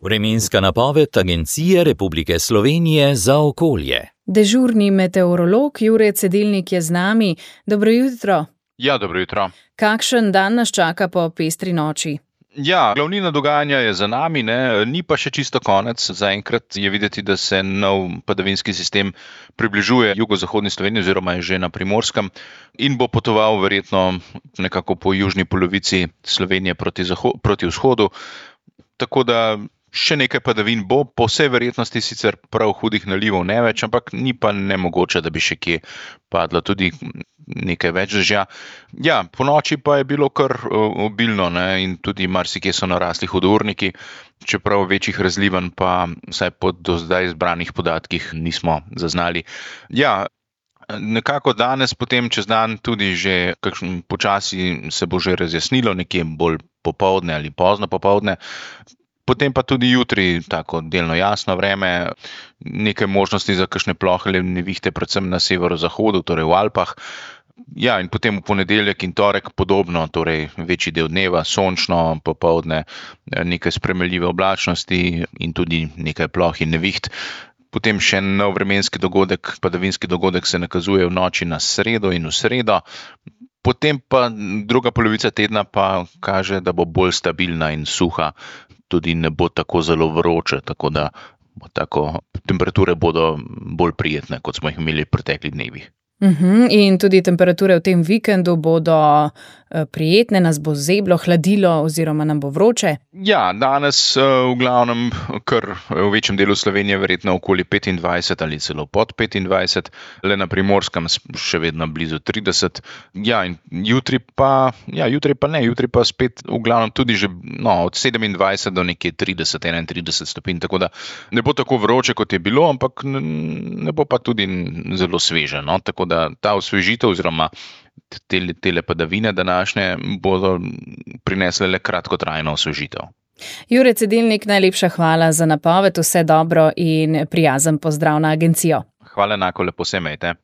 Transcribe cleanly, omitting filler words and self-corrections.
Vremenska napoved Agencije Republike Slovenije za okolje. Dežurni meteorolog Jure Cedilnik je z nami. Dobro jutro. Ja, dobro jutro. Kakšen dan nas čaka po pestri noči? Ja, glavnina dogajanja je za nami, ni pa še čisto konec. Zaenkrat je videti, da se nov padavinski sistem približuje jugozahodni Sloveniji oziroma je že na Primorskem in bo potoval verjetno nekako po južni polovici Slovenije proti vzhodu. Tako da še nekaj padavin bo, po vsej verjetnosti sicer prav hudih nalivov ne več, ampak ni pa nemogoče, da bi še kje padlo tudi nekaj več dežja. Ja, po noči pa je bilo kar obilno in tudi marsikje so narasli hudourniki, čeprav večjih razlivanj pa vsaj po do zdaj zbranih podatkih nismo zaznali. Ja, nekako danes, potem čez dan tudi že počasi se bo že razjasnilo, nekje bolj popoldne ali pozno popoldne. Potem pa tudi jutri tako delno jasno vreme, nekaj možnosti za kakšne plohe nevihte, predvsem na severozahodu, torej v Alpah. Ja, in potem v ponedeljek in torek podobno, torej večji del dneva, sončno, popoldne, nekaj spremenljive oblačnosti in tudi nekaj ploh in neviht. Potem še nov vremenski dogodek, padavinski dogodek se nakazuje v noči na sredo in v sredo. Potem pa druga polovica tedna pa kaže, da bo bolj stabilna in suha. Tudi ne bo tako zelo vroče, tako da temperature bodo bolj prijetne, kot smo jih imeli v preteklih dnevih. In tudi temperature v tem vikendu bodo prijetne, nas bo zeblo, hladilo oziroma nam bo vroče? Ja, danes v glavnem kar v večjem delu Slovenije verjetno okoli 25 ali celo pod 25, le na Primorskem še vedno blizu 30. Ja, in jutri pa spet v glavnem tudi že od 27 do nekje 30-31 stopinj, tako da ne bo tako vroče, kot je bilo, ampak ne bo pa tudi zelo sveže, tako da ta osvežitev oziroma tele padavine današnje bodo prinesle le kratkotrajno osvežitev. Jure Cedilnik, najlepša hvala za napoved, vse dobro in prijazen pozdrav na agencijo. Hvala enako, lepo se imejte.